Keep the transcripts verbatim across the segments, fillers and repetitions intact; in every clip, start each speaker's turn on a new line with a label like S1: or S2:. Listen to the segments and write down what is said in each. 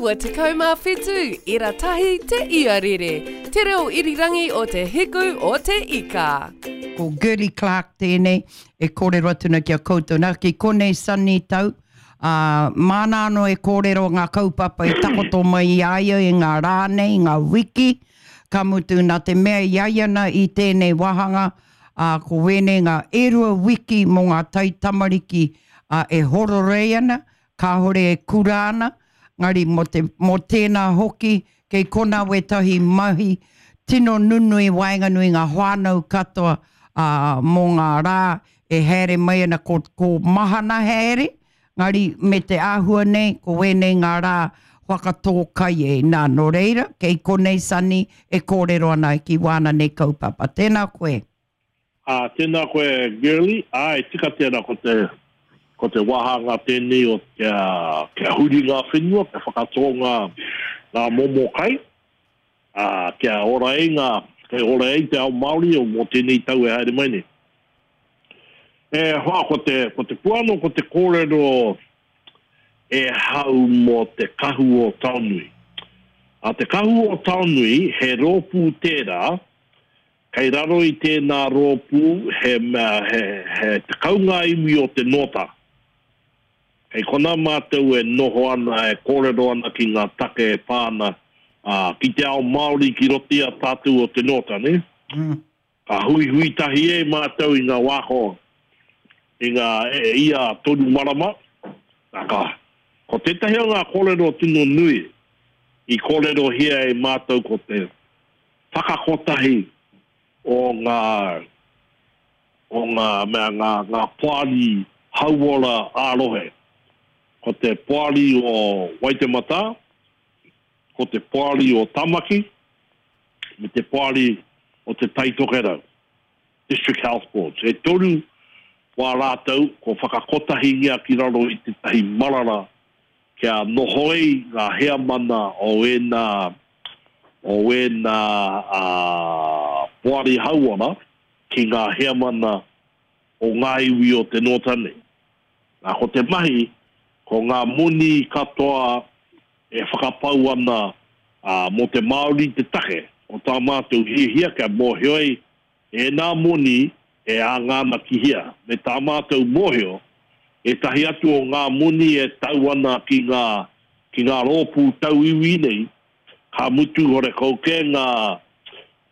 S1: iwa tekau mā whitu, ira tahi te iarere, te reo irirangi o te hiku o te ika.
S2: Ko Girlie Clarke tēnei e kōrero atu na ki a koutou. Nā, ki konei Sunny Tau, ā, māna anō e kōrero ngā kaupapa i takoto mai i a ia i ngā rā nei, i ngā wiki, ka mutu nā te mea i a ia na i tēnei wāhanga, ā, ko wēnei ngā e rua wiki mō ngā taitamariki, ā, e hororei ana, kāore e kura ana, ngari mō te, mō tēnā hoki, kei konā wētahi mahi tino nunui waenganui ngā whānau katoa, ā, mō ngā rā e haere mai ana ko, ko mahana haere, ngari me te āhua nei, ko wēnei ngā rā whakatō kai e. Nā, nō reira, kei konei Sunny e kōrero ana ki wāna nei kaupapa. Tēnā koe.
S3: Ā, tēnā koe Girlie, āe tika tēnā ko te, ko te wāhanga tēnei o kia, kia huri ngā whenua, kia whakatō ngā, ngā momo kai, ā, kia ora ai ngā, kia ora ai te ao Māori o mō tēnei tau e haere mai nei. E hoa, ko te, ko te puano, ko te kōrero e hau mō te Kahu o Taonui. Ā, te Kahu o Taonui, he rōpū tērā, Kei raro i tēnā rōpū he mea, he, he tekau ngā iwi o te Nōta. Kei konā mātou e noho ana, e kōrero ana ki ngā take e pā ana, ā, ki te ao Māori ki roto i a tātou o te Nōta, nē?
S2: Mm.
S3: Ka huihui tahi ai mātou i ngā wā ko, i ngā, e, ia toru marama, nā, ka, ko tētahi o ngā kōrero tino nui i kōrerohia e mātou ko te whakakotahi o ngā, o ngā mea, ngā, ngā poari hauora ā-rohe. Ko te poari o Waitematā, ko te poari o Tamaki, me te poari o Te Tai Tokerau, District Health Boards. E toru wā rātou kua whakakotahingia ki raro i tētahi marara kia noho ai ngā heamana o ēnā, o ēnā poari hauora ki ngā heamana o ngā iwi o te Nōta nei. Nā, ko te mahi, ko ngā moni katoa e whakapau ana mō te Māori te take, ko tā mātou hiahia kia mōhio ai ēnā moni e anga ana ki hea, me tā mātou mōhio, ētahi atu o ngā moni e tau ana ki ngā, ki ngā rōpū tauiwi nei, ka mutu horekau kē ngā,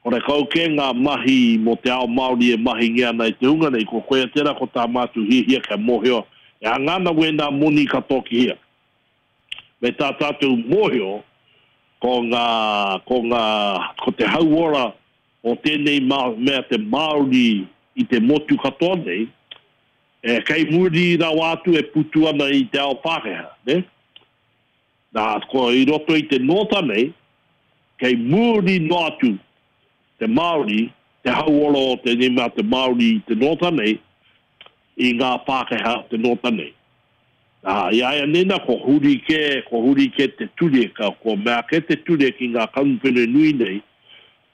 S3: horekau kē ngā mahi mō te ao Māori e mahingia ana e te hunga nei, ko koia tērā ko tā mātou hiahia kia mōhio e anga ana wēnā moni katoa ki hea. Me tā tātou mōhio, ko ngā, ko ngā, ko te hauora o tēnei mea te Māori i te motu katoa nei, e kei muri rawa atu e putu ana i te ao Pākehā, nē? Nā, ko i roto i te nōta nei, kei muri noa atu te Māori, te hauora o tēnei mea te Māori i te nōta nei, i ngā Pākehā o te nōta nei. Nā, i a ia nei nā, ko huri kē, ko huri kē te ture, ka, kua mea kē te ture ki ngā kamupene nui nei,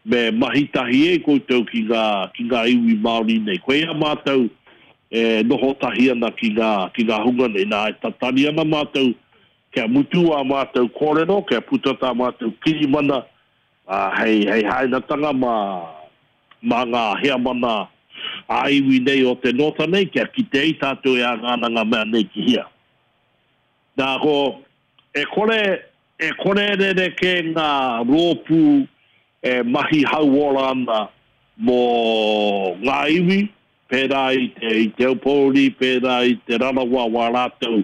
S3: me mahi tahi ai koutou ki ngā, ki ngā iwi Māori nei. Koia mātou e noho tahi ana ki ngā, ki ngā hunga nei. Nā, e tatari ana mātou kia mutu ā mātou kōrero, kia puta tā mātou kirimana, ā, hei, hei hainatanga mā, mā ngā heamana ā-iwi nei o te nōta nei, kia kite ai tātou e anga ana ngā mea nei ki hea. Nā, ko, e kore, e kore rerekē ngā rōpū e mahi hauora ana mō ngā iwi, pērā i te, i Te Aupōuri, pērā i Te Rarawa, wā rātou,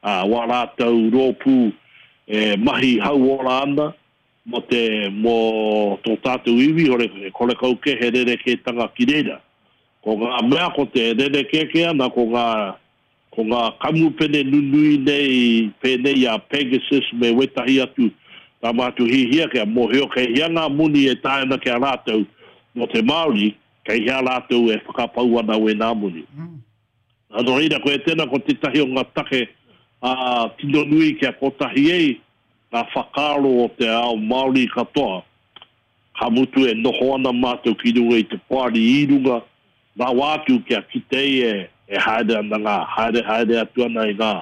S3: ā, wā rātou rōpū e mahi hauora ana mō te, mō tō tātou iwi, hore, horekau kē he rerekētanga ki reira. Ko ngā mea ko te rerekē kē ana ko ngā, ko ngā kamupene nunui nei pēnei i a Pegasus me wētahi atu tā mātou hiahia kia mōhio kei hea ngā moni e tae ana ki a rātou mō te Māori, kei hea rātou e whakapau ana wēnā moni. Nā, nō reira, koia tēnā ko tētahi o ngā take ā, tino nui kia kotahi ai ngā whakaaro o te ao Māori katoa, ka mutu e noho ana mātou ki runga i te poari i runga rawa atu kia kite ai e, e haere ana ngā, haere haere atu ana i ngā,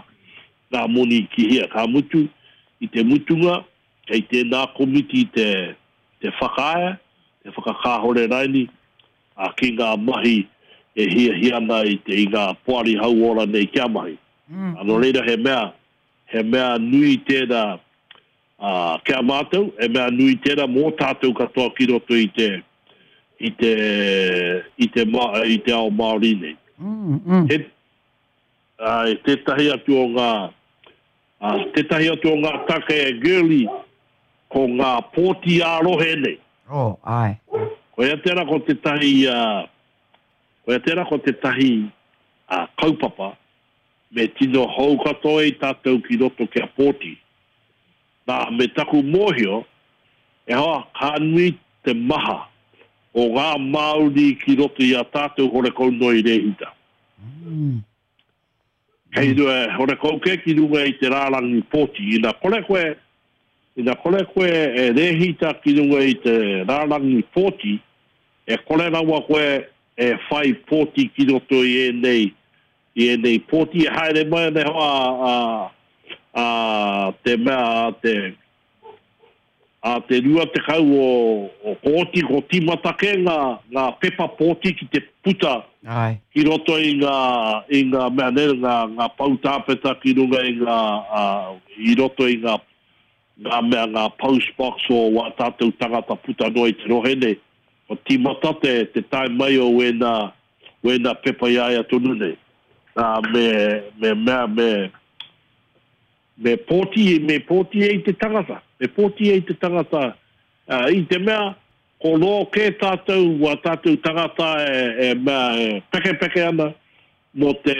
S3: ngā moni ki hea. Ka mutu, i te mutunga, kei tēnā komiti te, te whakaea, te whakakāhore raini, a ki ngā mahi e hiahia ana i, te, i ngā poari hauora nei kia mahi. Mm. Nō reira he mea, he mea nui tērā uh, kia mātou, he mea nui tērā mō tātou katoa ki roto i te, i te, i te, i te ao Māori nei.
S2: Mm, mm.
S3: He, uh, tētahi atu o ngā, uh, tētahi atu o ngā take e Girlie, ko ngā pōti ā-rohe nei.
S2: Oh, ai.
S3: Koia tērā ko tētahi, uh, koia tērā ko tētahi uh, kaupapa, me tino hou katoa i tātou ki roto kia pōti. Nā, me taku mōhio, e hoa, ka nui te maha o ngā Māori ki roto i a tātou horekau noa i rēhita.
S2: Mm.
S3: Kei rua, horekau ke ki runga i te rārangi pōti. Ina kore koe, ina kore koe e rēhita ki runga i te rārangi pōti, e kore rawa koe e whai pōti ki roto i ēnei, i ēnei pōti e haere mai nei hoa a, a, te mea a te a te rua tekau o, o kōti ko tīmata ke ngā, ngā pepa pōti ki te puta.
S2: Ai.
S3: Ki roto i ngā, i ngā mea nei, ngā, ngā poutāpeta ki runga i ngā, uh, i roto i ngā, ngā mea, ngā postbox o wā tātou tangata puta noa i te rohe nei. Ko tīmata te, te tae mai o wēnā, wēnā pepa i aia tonu nei. Nā, me, me mea, me, me pōti, me pōti e i te tangata. Me pōti e i te tangata. Uh, i te mea, ko rō kē tātou, wā tātou tangata e, e mea, e pekepeke ana mō te,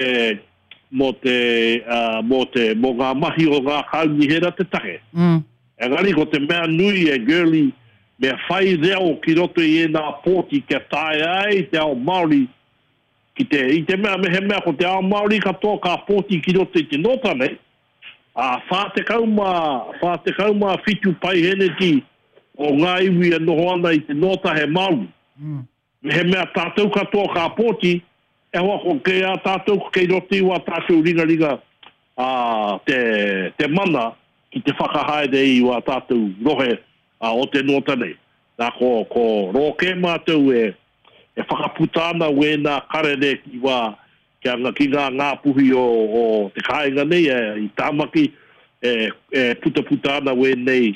S3: mō te, uh, mō te, mō ngā mahi o ngā kaunihera te take.
S2: Mm.
S3: Engari ko te mea nui e Girlie, me whai reo ki roto i ēnā pōti kia taea ai te ao Māori ki te, i te mea, me he mea ko te ao Māori katoa ka pōti ki roto i te nōta nei, a whā tekau mā, whā tekau mā whitu paiheneti o ngā iwi e noho ana i te nōta he Māori.
S2: Mm.
S3: Me he mea tātou katoa ka pōti, e hoa ko kei a tātou, ko kei roto i wā tātou ringaringa a, te, te mana ki te whakahaere i wā tātou rohe a, o te nōta nei. Nā ko, ko rōke mātou e, e whakaputa ana wēnā karere ki wā, kia, ki ngā ngāpuhi o, o te kāinga nei, e, i Tāmaki, e, e putaputa ana wēnei,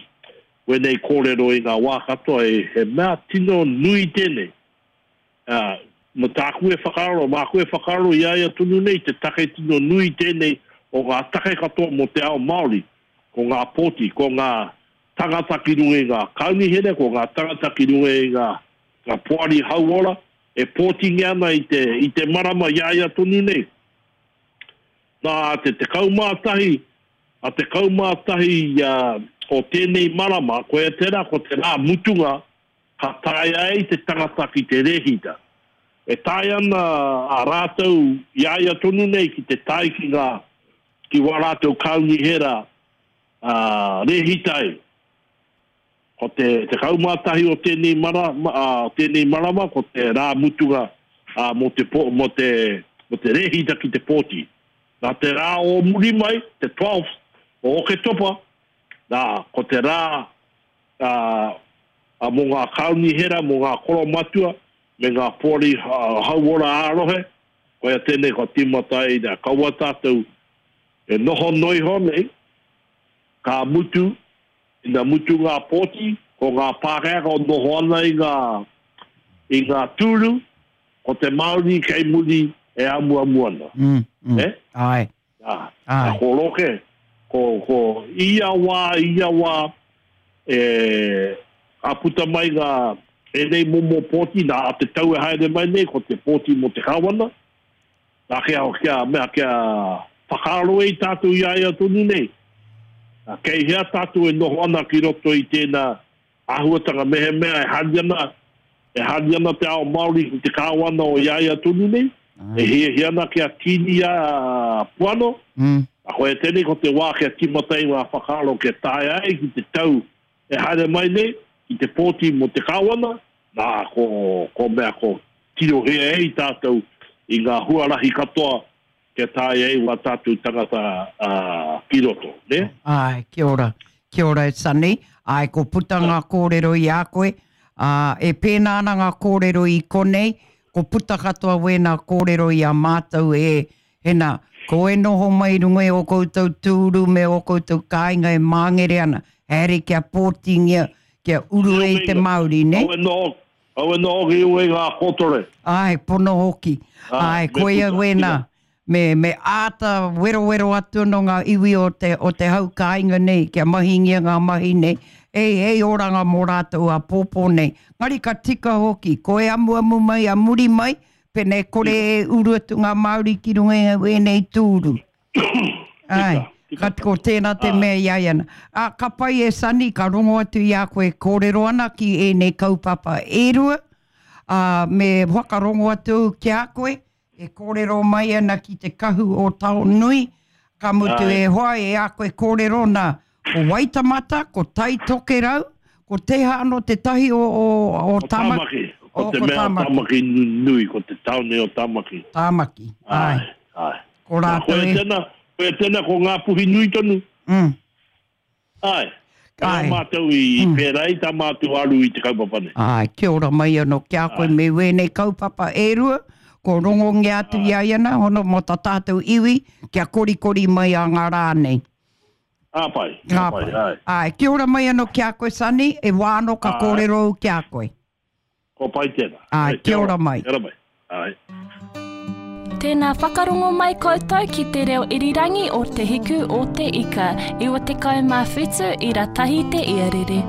S3: wēnei kōrero i ngā wā katoa, e, he mea tino nui tēnei. Uh, mo tāku e whakaaro, māku e whakaaro i aia tonu nei, te take tino nui tēnei o ngā take katoa mō te ao Māori, ko ngā pōti, ko ngā tangata ki runga i ngā kaunihere, ko ngā tangata ki runga i ngā, ngā poari hauora, e pōtingia ana i te, i te marama i aia tonu nei. Nā te tekau mā tahi, a tekau mā tahi uh, o tēnei marama, koia tērā ko te rā mutunga, ka taea ai te tangata ki te rēhita. E tae ana a rātou i aia tonu nei ki te tae ki ngā, ki wā rātou kaunihera uh, rēhita ai. Ko te tekau mā tahi o tēnei, mara, uh, tēnei marama, ko te rā mutunga uh, mō te, po, mō te, mō te rēhita ki te pōti. Nā te rā o muri mai, te twelfth o Oketopa, nā, ko te rā uh, uh, mō ngā kaunihera, mō ngā koromatua, me ngā poari uh, hauora ā-rohe, koia tēnei ko tīmata ai, nā, kaua tātou e noho noiho nei, ka mutu, ina mutu ngā pōti, ko ngā Pākehā ko noho ana i ngā, i ngā tūru, ko te Māori kei muri e amuamu ana.
S2: Mm, mm.
S3: Eh?
S2: Ai.
S3: Nā,
S2: Ai.
S3: nā, ko roke, ko, ko ia wā, ia wā, e, ka puta mai ngā enei momo pōti, nā a te tau e haere mai nei, ko te pōti mō te kāwana, nā kia, kia, mea, kia whakaaro e i tātou i aia tonu nei. Nā, kei hea tātou e noho ana ki roto i tēnā āhuatanga mehemea e hari ana, e hari ana te ao Māori ki te kāwana o i aia tonu nei, e hiahia ana kia tīni a Puano,
S2: Mm.
S3: a koe tēnei ko te wā kia tīmata i ngā whakaaro kia taea ai ki te tau e haere mai nei, ki te pōti mō te kāwana, nā ko, ko mea ko tirohia e i tātou i ngā huarahi katoa kia taea ai wā tātou tangata uh, ki roto, ne?
S2: Ai, kia ora. Kia ora e Sunny. Ai, ko puta ngā kōrero i a koe. Ā, e pēnā ana ngā kōrero i konei, ko puta katoa wēnā kōrero i a mātou e, hena, ko e noho mai i runga i ō koutou tūru me ō koutou kāinga e māngere ana, haere kia pōtingia, kia uru e i te Māori, ne?
S3: Au e noho, au e noho ki runga i ngā kōtore.
S2: Āe, pono hoki. Āe, koia wēnā. Me, me āta werowero atu anō ngā iwi o te, o te hau kāinga nei, kia mahingia ngā mahi nei, hei, hei oranga mō rātou āpōpō nei. Ngari ka tika hoki, ko e amuamu mai, a muri mai, pēnei kore e uru atu ngā Māori ki runga i ēnei tūru. Āe, ka, ko tēnā te mea i a ia ana. Ā, ka pai e Sonny, ka rongo atu i a koe e kōrero ana ki ēnei kaupapa e rua, ā, me whakarongo atu au ki a koe, e kōrero mai ana ki te kahu o Taonui, ka mutu e hoa e a koe kōrero nā, ko Waitemata, ko Tai Tokerau, ko teha anō tētahi o, o, o
S3: Ko Tāmaki, ko te mea o Tāmaki nui, ko te tāone o Tāmaki.
S2: Tāmaki, āe.
S3: Āe, āe.
S2: Ko rātou e.
S3: Koia tēnā, koia tēnā ko Ngāpuhi nui tonu.
S2: Mm.
S3: Āe. Kāi mātou i pērā i tā mātou aru i te kaupapa nei.
S2: Āe, kia ora mai anō ki a koe me wēnei kaupapa e rua, ko rongongia atu i a ia nā, hono mō tā tātou iwi, kia korikori mai a ngā rā nei.
S3: Ka pai, ka pai, āe.
S2: Āe, kia ora mai anō ki a koe Sonny, e wā anō ka kōrero au ki a koe.
S3: Kua pai tēnā.
S2: Āe, kia ora mai.
S3: Kia ora mai, āe.
S4: Tēnā whakarongo mai koutou ki te reo irirangi o Te Hiku o Te Ika, iwa tekau mā whitu ira tahi te iarere.